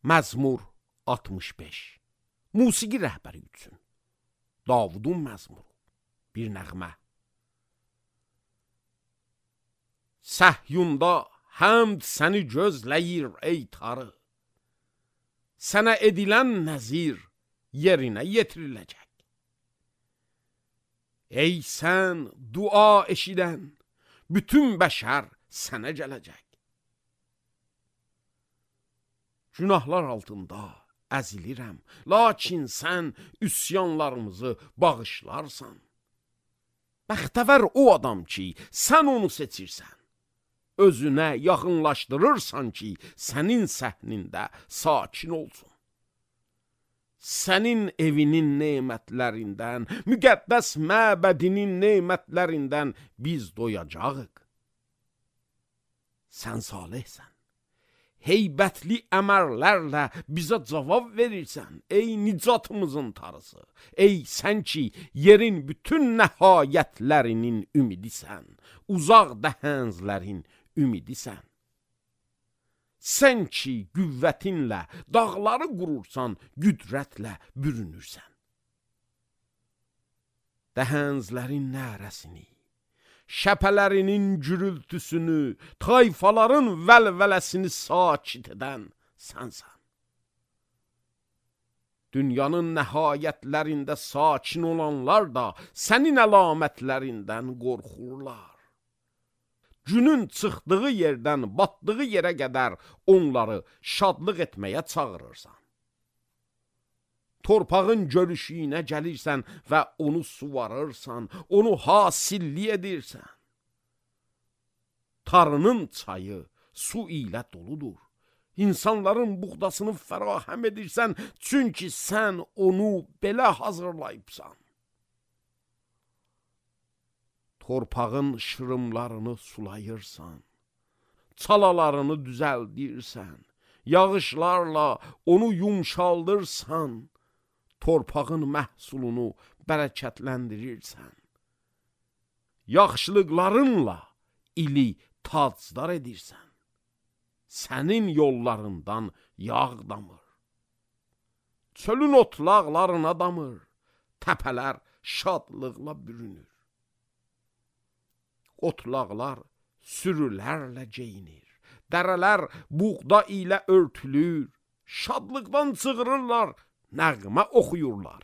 Məzmur 65. Musiqi rəhbəri üçün Davudun məzmuru. Bir nəğmə. Səhyunda həmd səni gözləyir ey tarı. Sənə edilən nəzir yerinə yetiriləcək. Ey sən dua eşidən, bütün bəşər sənə gələcək. Günahlar altında əzilirəm, lakin sən üsyanlarımızı bağışlarsan. Bəxtəvər o adam ki, sən onu seçirsən. Özünə yaxınlaşdırırsan ki, sənin səhnində sakin olsun. Sənin evinin nemətlərindən, müqəddəs məbədinin nemətlərindən biz doyacağıq. Sən salihsən. Heybətli əmərlərlə bizə cavab verirsən, ey nicatımızın tarısı. Ey sən ki, yerin bütün nəhayətlərinin ümidisən, uzaq dəhənzlərin ümidisən. Sən ki, qüvvətinlə dağları qurursan, qüdrətlə bürünürsən. Dəhənzlərin nərəsini, şəpələrinin gürültüsünü, tayfaların vəlvələsini sakit edən sənsən. Dünyanın nəhayətlərində sakin olanlar da sənin əlamətlərindən qorxurlar. Günün çıxdığı yerdən batdığı yerə qədər onları şadlıq etməyə çağırırsan. Torpağın görüşüyünə gəlirsən və onu suvarırsan, onu hasilli edirsən. Tarının çayı su ilə doludur. İnsanların buğdasını fərahəm edirsən, çünki sən onu belə hazırlayıbsan. Torpağın şırımlarını sulayırsan, çalalarını düzəldirsən, yağışlarla onu yumşaldırsan, torpağın məhsulunu bərəkətləndirirsən. Yaxşılıqlarınla ili tacdar edirsən. Sənin yollarından yağ damır. Çölün otlaqlarına damır, təpələr şadlıqla bürünür. Otlaqlar sürülərlə geyinir, dərələr buğda ilə örtülür, şadlıqdan çığırırlar, nəğmə oxuyurlar.